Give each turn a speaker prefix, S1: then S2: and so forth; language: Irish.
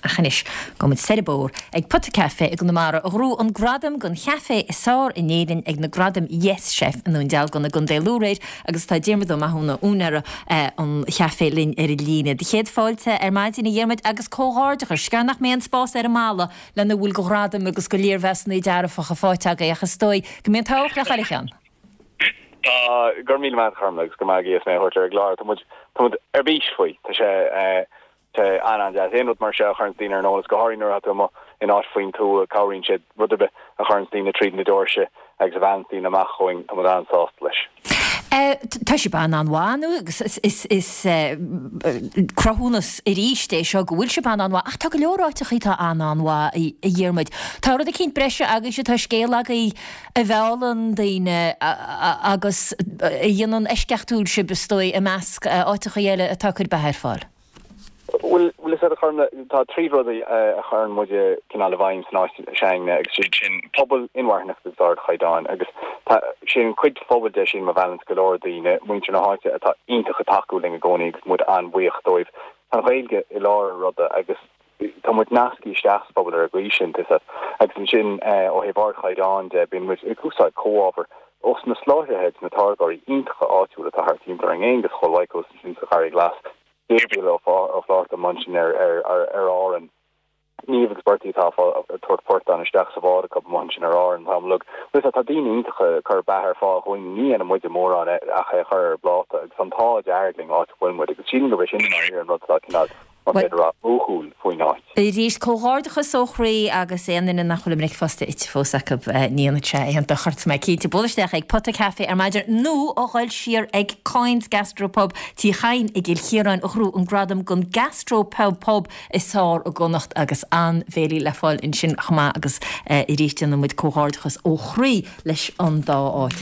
S1: Ach anois, gabhfaidh muid soir an bóthar ag Pota Café i gConamara a ghnóthaigh an gradam don chaifé is fearr in Éirinn ag na Gradaim Yes Chef i nDún Dealgan i gContae Lú aréir agus tá Diarmuid Ó Mathúna, úinéara an chaifé linn ar an líne. Do chéad fáilte ar maidin a Dhiarmuid agus comhghairdeachas. Is gearr nach mbeidh an spás ar an mballa lena bhfuil de ghradaim agus de léirmheasanna dearfacha faighte agaibh ach is dóigh go mbíonn an t-ádh le chuile cheann.
S2: Tá, go raibh míle maith agat a Chormaic agus go raibh maith ag as mé a thabhairt ar an gclár. Tá muid, tá muid ar bís faoi. Tá sé, sé an-an-deas. Aon rud mar seo a chuireanns daoine ar an eolas, go háirithe nuair atá tú amuigh in áit faoin tuath, cabhraíonn sé rud ar bith a chuireanns daoine tríd na doirse agus a mheallanns daoine amach chugainn, tá muid an-sásta leis.
S1: Tá sibh an-an-mhaith nó agus is is cruthúnas arís é seo go bhfuil sibh an-an-mhaith ach tá go leor áiteachaí atá an-an-mhaith a Dhiarmuid. Tá rud eicínt breise agaibhse, tá scéal agaibh a mheallann daoine agus a dhéanann eisceachtúil sibh is dóigh i measc áiteachaí eile atá ag cur beatha ar fáil.
S2: Bhuel, bhfuil fhios agat a Chormaic, tá trí rud a chuireann muide cineál i bhfeidhm san áit s'againne agus siad sin pobal, inmharthanacht agus ardchaighdeáin agus tá sé an chuid phobail de sin a mheallanns go leor daoine, muintir na háite atá iontach ag tacú linn i gcónaí agus muid an-bhuíoch dóibh. Tá an Ghaeilge i lár an ruda agus tá muid nasctha isteach sa phobal ar an gcaoi sin, tá fhios agat. Agus ansin ó thaobh ardchaighdeáin de, bíonn muid ag úsáid comhábhair ós na soláthraithe agus na táirgeoirí iontacha áitiúla atá thart timpeall orainn, Aengus Chóil Mhaidhc ansin sa Gharraí Glas. Gabriel Ó Flatharta amuigh ansin ar Árainn. Niamh agus Bertie atá ag tabhairt portán isteach sa bhád acu amuigh ansin ar Árainn an t-am uilig. Bhuel tá daoine iontacha ag cur beatha ar fáil dhúinn, ní dhéanann muide mórán ach é a chur ar an bpláta agus tá an t-ádh dearg linn áit a bhfuil muid agus sílim gurb é sin i ndáiríre an rud atá cineál, más féidir a rá, uathúil faoin áit.
S1: Arís, comhghairdeachas ó chroí agus aon duine nach bhfuil a mbricfeasta ite fós acu, ní dhéanfaidh sé aon dochar, tá mé cinnte. Buail isteach ag Pota Café ar maidin nó a ghoil siar ag Coyne's Gastro Pub, Tí Chadhain i gCill Chiaráin a ghnóthaigh an gradam don Gastro Pub Pub is fearr i gConnacht agus an-bhéilí le fáil ansin chomh maith agus arís déanann muid comhghairdeachas ó chroí leis an dá áit.